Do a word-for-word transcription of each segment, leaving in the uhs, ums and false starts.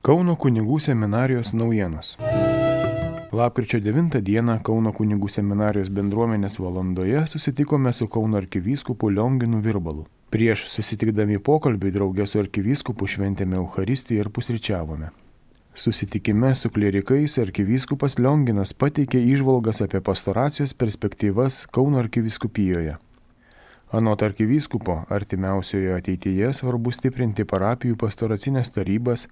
Kauno kunigų seminarijos naujienos. Lapkričio devintą dieną Kauno kunigų seminarijos bendruomenės valandoje susitikome su Kauno arkivyskupu Lionginu Virbalu. Prieš susitikdami pokalbį draugė su arkivyskupu šventėme Eucharistiją ir pusryčiavome. Susitikime su klierikais arkivyskupas Lionginas pateikė įžvalgas apie pastoracijos perspektyvas Kauno arkivyskupijoje. Anot arkivyskupo, artimiausioje ateityje svarbu stiprinti parapijų pastoracinės tarybas,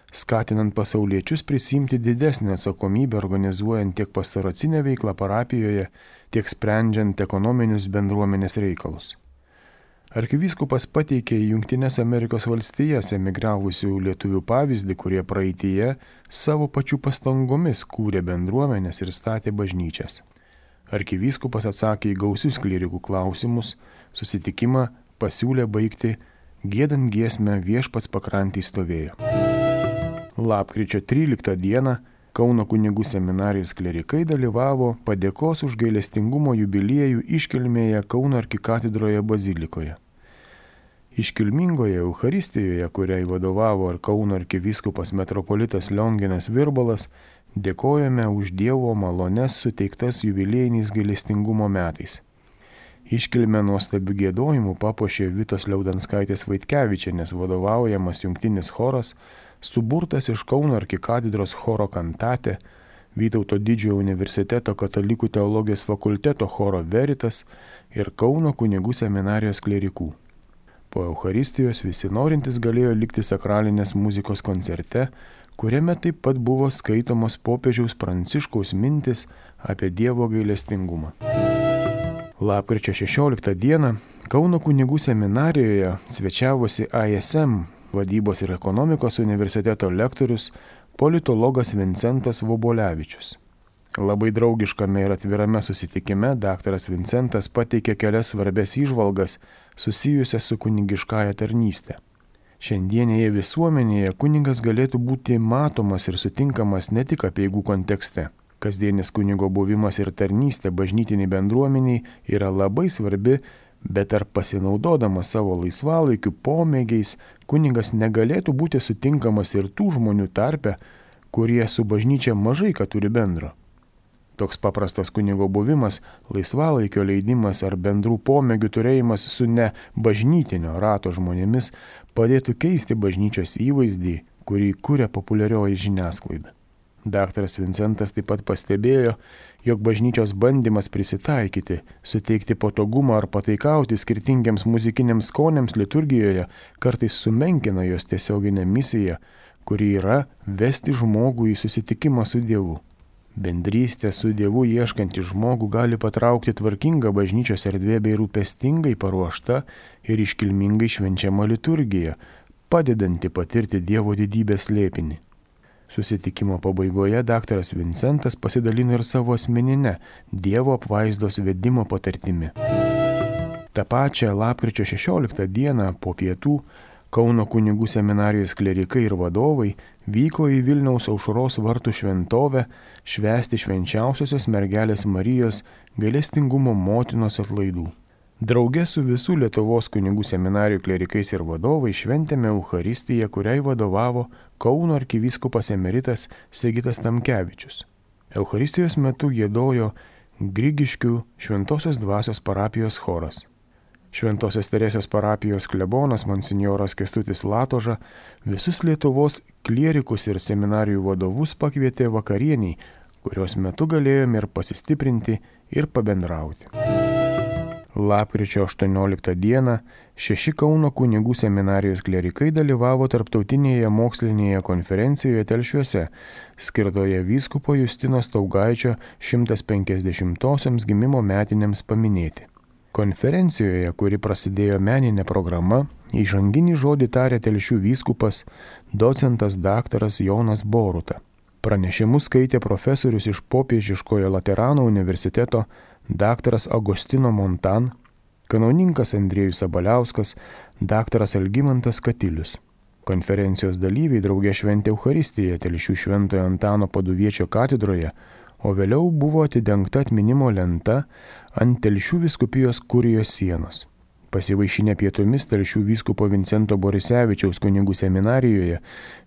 skatinant pasauliečius prisimti didesnę atsakomybę organizuojant tiek pastoracinę veiklą parapijoje, tiek sprendžiant ekonominius bendruomenės reikalus. Arkivyskupas pateikė į Jungtines Amerikos valstijas emigravusių lietuvių pavyzdį, kurie praeityje savo pačių pastangomis kūrė bendruomenės ir statė bažnyčias. Arkivyskupas atsakė į gausius klierikų klausimus, susitikimą pasiūlė baigti giedant giesmę Viešpats pakrantėj stovėjo. Lapkričio tryliktą dieną Kauno kunigų seminarijos klerikai dalyvavo padėkos už gailestingumo jubiliejų iškilmėje Kauno arkikatedroje bazilikoje. Iškilmingoje Eucharistijoje, kuriai vadovavo ir Kauno arkivyskupas metropolitas Lionginas Virbalas, dėkojame už Dievo malones suteiktas jubiliejiniais gailestingumo metais. Iškilmę nuostabių giedojimų papuošė Vitos Liaudanskaitės Vaitkevičienės vadovaujamas jungtinis choras, suburtas iš Kauno arkikatedros choro kantate, Vytauto Didžiojo universiteto katalikų teologijos fakulteto choro Veritas ir Kauno kunigų seminarijos klerikų. Po Eucharistijos visi norintys galėjo likti sakralinės muzikos koncerte, kuriame taip pat buvo skaitomos popiežiaus Pranciškaus mintis apie Dievo gailestingumą. Lapkričio šešioliktą dieną Kauno kunigų seminarijoje svečiavosi I S M vadybos ir ekonomikos universiteto lektorius politologas Vincentas Vobolevičius. Labai draugiškame ir atvirame susitikime daktaras Vincentas pateikė kelias svarbes įžvalgas susijusias su kunigiškąja tarnyste. Šiandienėje visuomenėje kunigas galėtų būti matomas ir sutinkamas ne tik apeigų kontekste. Kasdienis kunigo buvimas ir tarnystė bažnytiniai bendruomeniai yra labai svarbi, bet ar pasinaudodamas savo laisvalaikiu pomėgiais, kunigas negalėtų būti sutinkamas ir tų žmonių tarpe, kurie su bažnyčia mažai ką turi bendro. Toks paprastas kunigo buvimas, laisvalaikio leidimas ar bendrų pomėgių turėjimas su ne bažnytinio rato žmonėmis padėtų keisti bažnyčios įvaizdį, kurį kuria populiarioji žiniasklaida. Daktaras Vincentas taip pat pastebėjo, jog bažnyčios bandymas prisitaikyti, suteikti patogumą ar pataikauti skirtingiams muzikiniams skoniams liturgijoje kartais sumenkina jos tiesioginę misiją, kuri yra vesti žmogų į susitikimą su Dievu. Bendrystė su Dievu ieškantį žmogų gali patraukti tvarkingą bažnyčios erdvė bei rūpestingai paruošta ir iškilmingai švenčiama liturgija, padedanti patirti Dievo didybės slėpinį. Susitikimo pabaigoje daktaras Vincentas pasidalino ir savo asmeninę Dievo apvaizdos vedimo patirtimi. Ta pačia lapkričio šešioliktą dieną po pietų Kauno kunigų seminarijos klerikai ir vadovai vyko į Vilniaus Aušros vartų šventovę švęsti švenčiausiosios mergelės Marijos gailestingumo motinos atlaidų. Drauge su visų Lietuvos kunigų seminarijų klerikais ir vadovai šventėme Eucharistiją, kuriai vadovavo Kauno arkivyskupas emeritas Sigitas Tamkevičius. Eucharistijos metu giedojo Grigiškių Šventosios dvasios parapijos choras. Šventosios Teresės parapijos klebonas monsinjoras Kęstutis Latoža visus Lietuvos klierikus ir seminarijų vadovus pakvietė vakarieniai, kurios metu galėjome ir pasistiprinti ir pabendrauti. Lapkričio aštuonioliktą dieną šeši Kauno kunigų seminarijos klerikai dalyvavo tarptautinėje mokslinėje konferencijoje Telšiuose, skirtoje vyskupo Justino Staugaičio šimtas penkiasdešimtosioms gimimo metinėms paminėti. Konferencijoje, kuri prasidėjo meninė programa, įžanginį žodį tarė Telšių vyskupas, docentas daktaras Jonas Boruta. Pranešimus skaitė profesorius iš Popiežiškojo Laterano universiteto daktaras Agostino Montan, kanauninkas Andriejus Sabaliauskas, daktaras Algimantas Katilius. Konferencijos dalyviai draugė šventė Eucharistiją Telšių Šventojo Antano Paduviečio katedroje, o vėliau buvo atidengta atminimo lenta ant Telšių vyskupijos kurijos sienos. Pasivaišinę pietumis Telšių vyskupo Vincento Borisevičiaus kunigų seminarijoje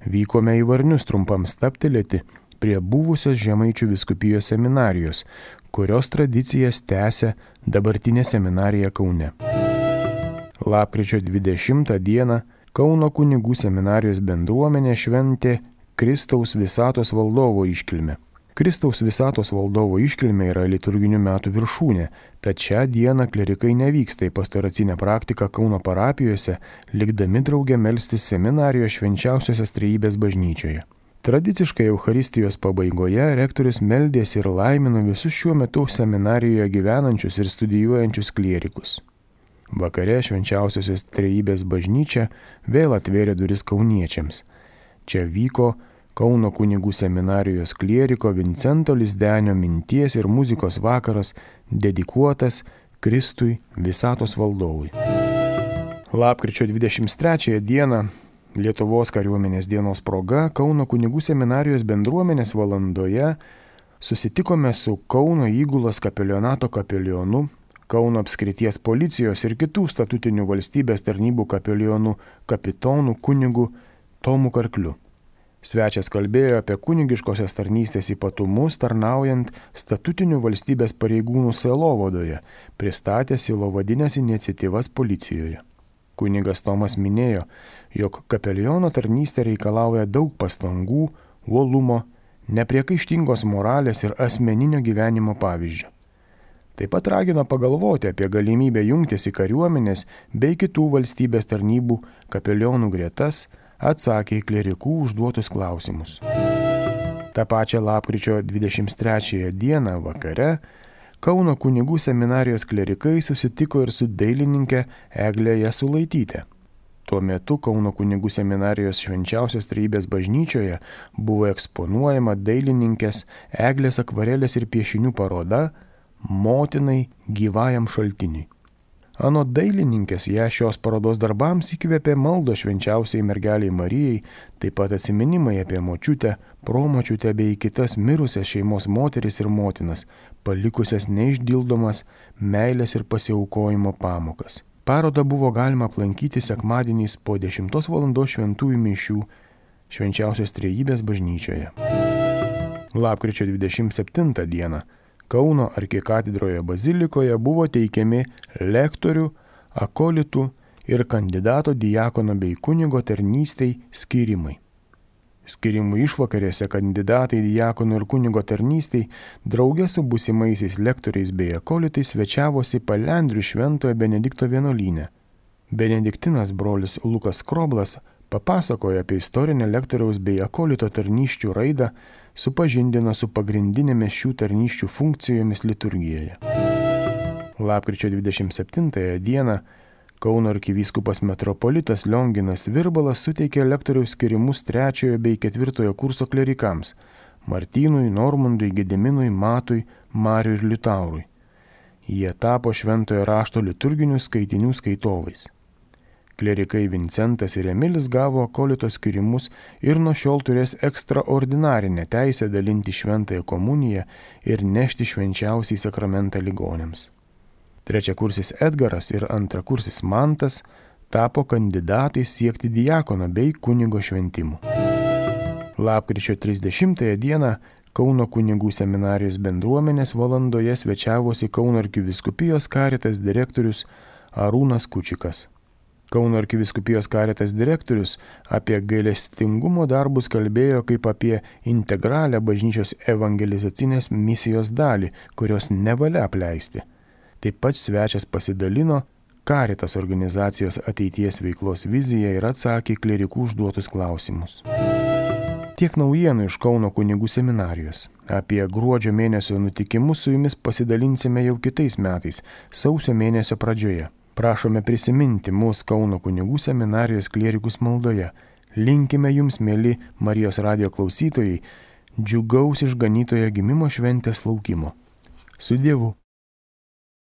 vykome į Varnius trumpam stabtelėti prie buvusios Žemaičių vyskupijos seminarijos, kurios tradicijas tęsia dabartinė seminarija Kaune. Lapkričio dvidešimtą dieną Kauno kunigų seminarijos bendruomenė šventė Kristaus visatos valdovo iškilmę. Kristaus visatos valdovo iškilmė yra liturginių metų viršūnė, tad šią dieną klerikai nevyksta į pastoracinę praktiką Kauno parapijose, likdami drauge melstis seminarijos švenčiausiosios trejybės bažnyčioje. Tradiciškai Eucharistijos pabaigoje rektorius meldėsi ir laimino visus šiuo metu seminarijoje gyvenančius ir studijuojančius klierikus. Vakare švenčiausiosios trejybės bažnyčia vėl atvėrė duris kauniečiams. Čia vyko Kauno kunigų seminarijos klieriko Vincento Lizdenio minties ir muzikos vakaras dedikuotas Kristui visatos valdovui. Lapkričio dvidešimt trečiąją dieną Lietuvos kariuomenės dienos proga Kauno kunigų seminarijos bendruomenės valandoje susitikome su Kauno įgulos kapelionato kapelionu, Kauno apskrities policijos ir kitų statutinių valstybės tarnybų kapelionų kapitonu kunigu Tomu Karkliu. Svečias kalbėjo apie kunigiškosios tarnystės ypatumus tarnaujant statutinių valstybės pareigūnų sielovadoje, pristatė sielovadinės iniciatyvas policijoje. Kunigas Tomas minėjo, jog kapeliono tarnystė reikalauja daug pastangų, uolumo, nepriekaištingos moralės ir asmeninio gyvenimo pavyzdžio. Taip pat ragino pagalvoti apie galimybę jungtis į kariuomenės bei kitų valstybės tarnybų kapelionų gretas, atsakė į klerikų užduotus klausimus. Ta pačia lapkričio dvidešimt trečiąją dieną vakare Kauno kunigų seminarijos klerikai susitiko ir su dailininke Egle Jasulaityte. Tuo metu Kauno kunigų seminarijos švenčiausios trejybės bažnyčioje buvo eksponuojama dailininkės Eglės akvarelės ir piešinių paroda Motinai gyvajam šaltiniui. Anot dailininkės ją šios parodos darbams įkvėpė maldo švenčiausiai mergeliai Marijai, taip pat atsiminimai apie močiutę, promočiutę bei kitas mirusias šeimos moteris ir motinas, palikusias neišdildomas meilės ir pasiaukojimo pamokas. Parodą buvo galima aplankyti sekmadieniais po dešimtos valandos šventųjų mišių švenčiausios trejybės bažnyčioje. Lapkričio dvidešimt septintą dieną Kauno arkikatedroje bazilikoje buvo teikiami lektorių, akolitų ir kandidato diakono bei kunigo tarnystei skyrimai. Skirimų išvakarėse kandidatai diakono ir kunigo tarnystei draugė su būsimaisiais lektoriais bei akolitais svečiavosi Palendrių šventojo Benedikto vienuolyne. Benediktinas brolis Lukas Kroblas papasakojo apie istorinę lektoriaus bei akolito tarnysčių raidą, supažindino su pagrindinėmis šių tarnysčių funkcijomis liturgijoje. Lapkričio dvidešimt septintąją dieną Kauno arkivyskupas metropolitas Lionginas Virbalas suteikė lektoriaus skirimus trečiojo bei ketvirtojo kurso klerikams Martynui, Normundui, Gediminui, Matui, Mariui ir Liutaurui. Jie tapo šventojo rašto liturginių skaitinių skaitovais. Klerikai Vincentas ir Emilis gavo akolito skirimus ir nuo šiol turės ekstraordinarinę teisę dalinti šventąją komuniją ir nešti švenčiausiai sakramentą ligoniams. Trečiakursis Edgaras ir antrakursis Mantas tapo kandidatais siekti diakono bei kunigo šventimų. Lapkričio trisdešimtąją dieną Kauno kunigų seminarijos bendruomenės valandoje svečiavosi Kauno arkivyskupijos Caritas direktorius Arūnas Kučikas. Kauno arkivyskupijos Caritas direktorius apie gailestingumo darbus kalbėjo kaip apie integralią bažnyčios evangelizacinės misijos dalį, kurios nevalia apleisti. Taip pat svečias pasidalino Caritas organizacijos ateities veiklos viziją ir atsakė klerikų užduotus klausimus. Tiek naujienų iš Kauno kunigų seminarijos. Apie gruodžio mėnesio nutikimus su jumis pasidalinsime jau kitais metais, sausio mėnesio pradžioje. Prašome prisiminti mūsų Kauno kunigų seminarijos klierikus maldoje. Linkime jums, mėly Marijos radijo klausytojai, džiugaus išganytojo gimimo šventės laukimo. Su Dievu.